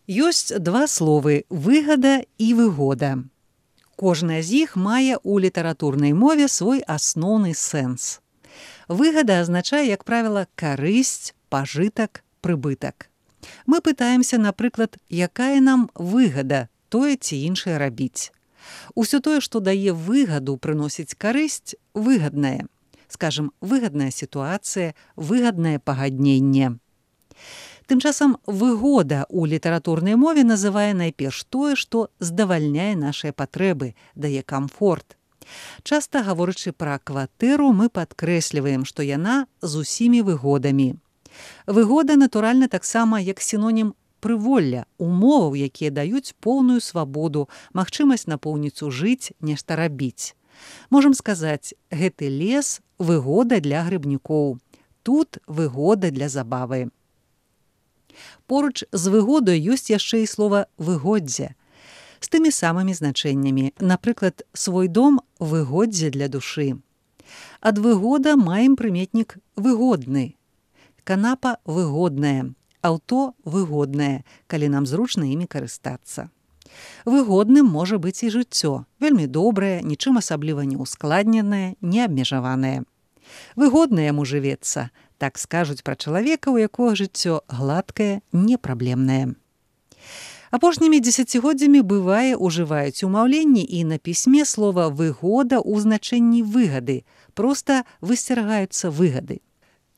Ёсць два словы «выгада» і «выгода». Кожная з іх мае ў літаратурнай мове свой асноўны сэнс. Выгада азначае, як правіла, карысць, пажытак, прыбытак. Мы пытаемся, напрыклад, якая нам выгада тое ці іншае рабіць. Усё тое, што дае выгаду, прыносіць карысць, выгаднае. Скажам, выгадная сітуацыя, выгаднае пагадненне. Тым часам выгода ў літаратурнай мове называе найперш тое, што здавальняе нашыя патрэбы, дае камфорт. Часта, гаворачы пра кватэру, мы падкрэсліваем, што яна з усімі выгодамі. Выгода, натуральна, таксама як сінонім прыволля, умоваў, якія даюць поўную свабоду, магчымасць напоўніцу жыць, нешта рабіць. Можам сказаць, гэты лес – выгода для грыбнікоў. Тут выгода для забавы. Поруч з выгодай ёсць яшчэ і слова «выгоддзе» з тымі самымі значэннямі. Напрыклад, свой дом – выгоддзе для душы. Ад выгода маем прыметнік «выгодны». Канапа – выгодная, аўто – выгоднае, калі нам зручна імі карыстацца. Выгодным можа быць і жыццё, вельмі добрае, нічым асабліва не ускладненае, не абмежаванае. Выгодна яму жывецца, так скажуць пра чалавека, у якога жыццё гладкае, непраблемнае. Апошнімі дзесяцігоддзямі бывае ужываюць у маўленні і на пісьме слова «выгода» ў значэнні выгады, проста высцерагаюцца выгады.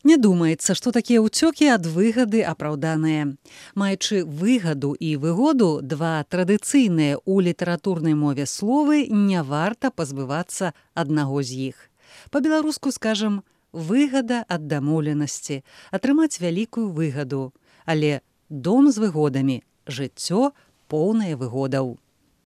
Не думаецца, што такія ўцёкі ад выгады апраўданыя. Маючы выгаду і выгоду, два традыцыйныя ў літаратурнай мове словы, не варта пазбывацца аднаго з іх. Па-беларуску скажам «выгада ад дамоўленасці», атрымаць вялікую выгаду, але дом з выгодамі, жыццё поўнае выгодаў.